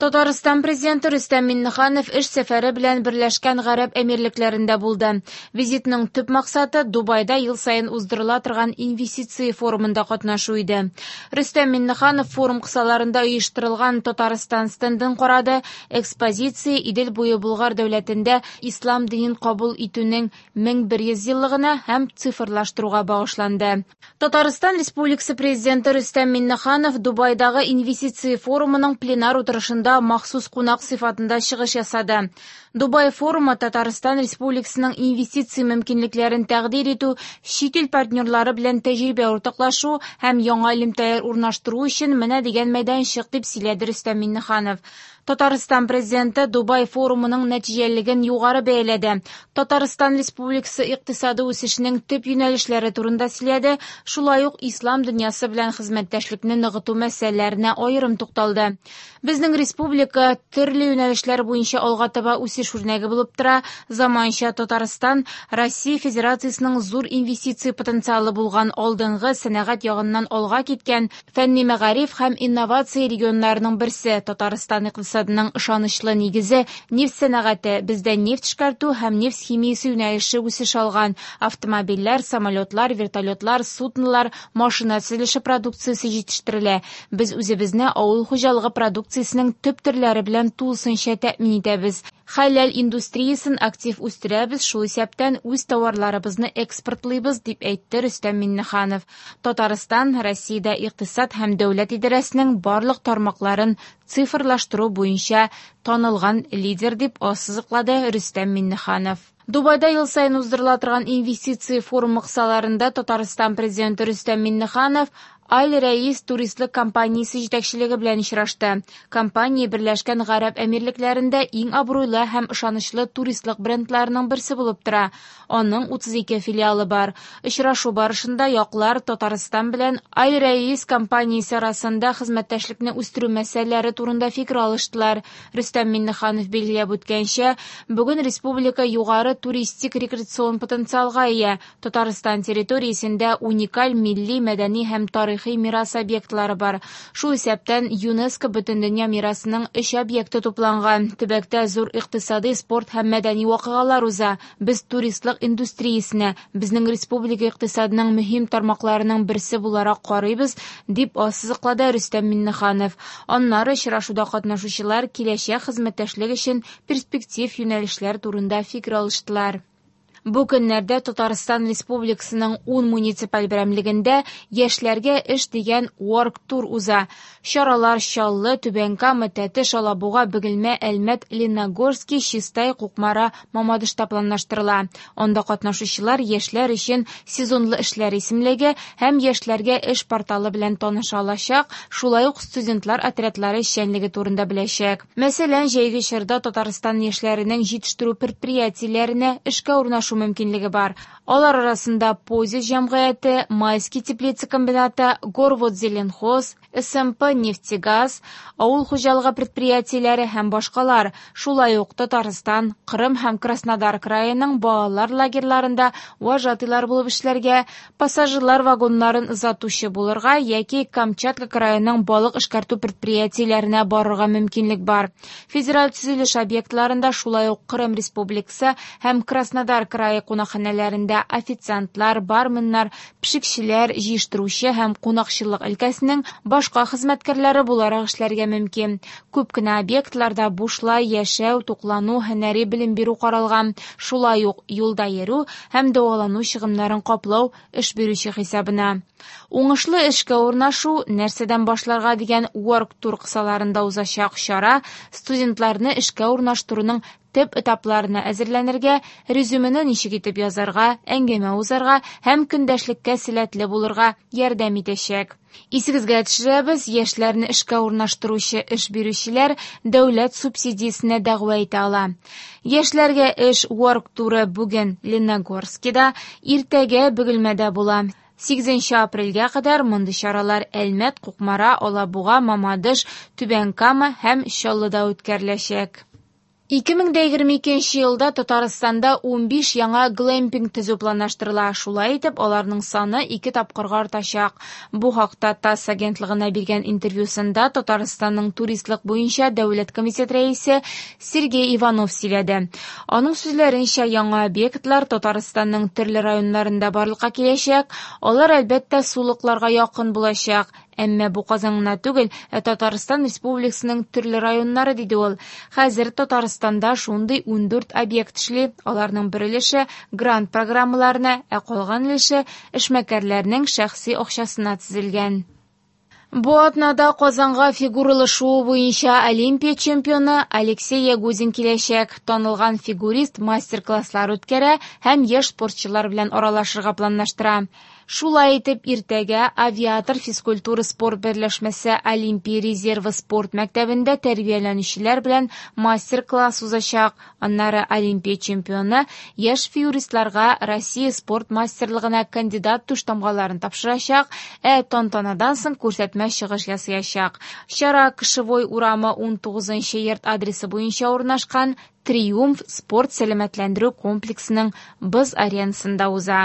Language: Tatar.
Татарстан Президенты Рөстәм Миңнеханов эш сәфәре белән Берләшкән Гарәп Әмирлекләрендә булды. Визитның төп максаты Дубайда ел саен уздырыла торган инвестиция форумында катнашу иде. Рөстәм Миңнеханов форум кысаларында оештырылган Татарстан стендын карады. Экспозиция Идел буе Болгар дәүләтендә ислам динен кабул итүнең 1100 еллыгына һәм цифрлаштыруга багышланды. Татарстан Республикасы Президенты Рөстәм Миңнеханов Дубайдагы инвестиция форумының пленар утырышында махсус кунак сыйфатында чыгыш ясады. Дубай форумы Татарстан Республикасының инвестиция мөмкинлекләрен тәкъдир итү, чит ил партнерлары белән тәҗрибә уртаклашу һәм яңа элемтәләр урнаштыру өчен менә дигән мәйданчык, дип сөйләде Рөстәм Миңнеханов. Татарстан Президенты Дубай форумының нәтиҗәлелеген югары бәяләде. Татарстан Республикасы икътисады үсешенең төп юнәлешләре турында сөйләде, шулай ук ислам дөньясы белән хезмәттәшлекне ныгыту мәсьәләләренә аерым тукталды. Безнең республика төрле юнәлешләр буенча алга таба үсеш үрнәге булып тора. Заманча Татарстан Россия Федерациясенең зур инвестиция потенциалы булган алдынгы сәнәгать ягыннан алга киткән фәнни мәгариф һәм инновация регионнарының берсе. Татарстан икътисадының ышанычлы нигезе нефть сәнәгате, бездә нефть эшкәртү һәм нефть химиясе юнәлеше үсеш алган. Автомобильләр, самолетлар, вертолетлар, суднолар, машина төзелеше продукциясе җитештерелә. Без үзебезне авыл хуҗалыгы продукциясенең төп төрләре белән тулысынча тәэмин итәбез. Хәләл индустриясен актив үстерәбез, шул исәптән үз товарларыбызны экспортлыйбыз, дип әйтте Рөстәм Миңнеханов. Татарстан Россиядә икътисад һәм дәүләт идарәсенең барлык тармакларын цифрлаштыру буенча танылган лидер, дип ассызыклады Рөстәм Миңнеханов. Дубайда ел саен уздырыла торган инвестиция форумы кысаларында Татарстан Президенты Рөстәм Миңнеханов Аль-Рәис туристлык компаниясе җитәкчелеге белән очрашты. Компания Берләшкән Гарәп Әмирлекләрендә иң абруйлы һәм ышанычлы туристлык брендларының берсе булып тора. Аның 32 филиалы бар. Очрашу барышында яклар Татарстан белән Аль-Рәис компаниясе арасында хезмәттәшлекне үстерү мәсьәләләре турында фикер алыштылар. Рөстәм Миңнеханов билгеләп үткәнчә, бүген республика югары туристик рекреацион потенциалга ия. Татарстан территориясендә уникаль милли, мәдәни һәм тарихи мирас объектлары бар. Шул исәптән ЮНЕСКО Бөтендөнья мирасының 3 объекты тупланган. Төбәктә зур икътисади, спорт һәм мәдәни вакыйгалар уза. Без туристлык индустриясенә, безнең республика икътисадының мөһим тармакларының берсе буларак карыйбыз, дип ассызыклады Рөстәм Миңнеханов. Аннары очрашуда катнашучылар киләчәк хезмәттәшлек өчен перспектив юнәлешләр турында фикер алыштылар. Бу көннәрдә Татарстан Республикасының 10 муниципаль берәмлегендә яшьләргә эш дигән Work Tour уза. Чаралар Чаллы, Түбән Кама, Тәтеш, Алабуга, Бөгелмә, Әлмәт, Лениногорский, Чистай, Кукмара, Мамадышта планлаштырыла. Анда катнашучылар яшьләр өчен сезонлы эшләр исемлеге һәм яшьләргә эш порталы белән таныша алачак, шулай ук студентлар отрядлары эшчәнлеге турында беләчәк. Мәсәлән, җәйге чорда Татарстан яшьләренең җитештерү предприятиеләренә эшкә урнашу мөмкинлеге бар. Алар арасында Позис җәмгыяте, Майский теплица комбинаты, Горводзеленхоз, СМП Нефтегаз, авыл хуҗалыгы предприятиеләре һәм башкалар. Шулай ук Татарстан, Кырым һәм Краснодар краеның балалар лагерьларында вожатыйлар булып эшләргә, пассажирлар вагоннарын озатучы булырга яки Камчатка краеның балык эшкәртү предприятиеләренә барырга мөмкинлек бар. Федераль төзелеш объектларында шулай ук Кырым Республикасы һәм Краснодар крае кунакханәләрендә официантлар, барменнар, пешекчеләр, җыештыручы һәм кунакчыллык өлкәсенең башка хезмәткәрләре буларак эшләргә мөмкин. Күп кенә объектларда бушлай яшәү, туклану, һөнәри белем бирү каралган. Шулай ук юлда йөрү һәм дәвалану чыгымнарын каплау эш бирүче хисабына. Уңышлы эшкә урнашу нәрсәдән башларга дигән Work Tour кысаларында узачак чара студентларны эшкә урнаштыруның төп этапларына әзерләнергә, резюмены ничек итеп язарга, әңгәмә узарга һәм көндәшлеккә сәләтле булырга ярдәм итәчәк. Исегезгә төшерәбез, яшьләрне эшкә урнаштыручы эш бирүчеләр дәүләт субсидиясенә дәгъва итә ала. Яшьләргә эш Work Tour бүген Лениногорскида, иртәгә Бөгелмәдә була. 8 апрельгә кадәр мондый чаралар Әлмәт, Кукмара, Алабуга, Мамадыш, Түбән Кама һәм Чаллыда үткәреләчәк. 2022 елда Татарстанда 15 яңа глэмпинг төзү планлаштырыла. Шулай итеп, аларның саны ике тапкырга артачак. Бу хакта ТАСС агентлыгына биргән интервьюсында Татарстанның туристлык буенча дәүләт комитет рәисе Сергей Иванов сөйләде. Аның сүзләренчә, яңа объектлар Татарстанның төрле районнарында барлыкка киләчәк. Алар, әлбәттә, сулыкларга якын булачак. Әмма бу Казан гына түгел, ә Татарстан Республикасының төрле районнары, диде ул. Хәзер Татарстанда шундый 14 объект эшли, аларның бер өлеше грант программаларына, ә калган өлеше эшмәкәрләрнең шәхси акчасына төзелгән. Бу атнада Казанга фигуралы шуу буенча Олимпия чемпионы Алексей Ягудин киләчәк. Танылган фигурист мастер-класслар үткәрә һәм яшь спортчылар белән аралашырга планлаштыра. Шулай итеп, иртәгә Авиатор физкультура-спорт берләшмәсе Олимпия резервы спорт мәктәбендә тәрбияләнүчеләр белән мастер-класс узачак. Аннары Олимпия чемпионы яшь фигуристларга Россия спорт мастерлыгына кандидат түштамгаларын тапшырачак, ә тантанадан соң күрсәтмә чыгыш ясаячак. Чара Кошевой урамы 19 нчы йорт адресы буенча урнашкан Триумф спорт-сәламәтләндерү комплексының боз аренасында уза.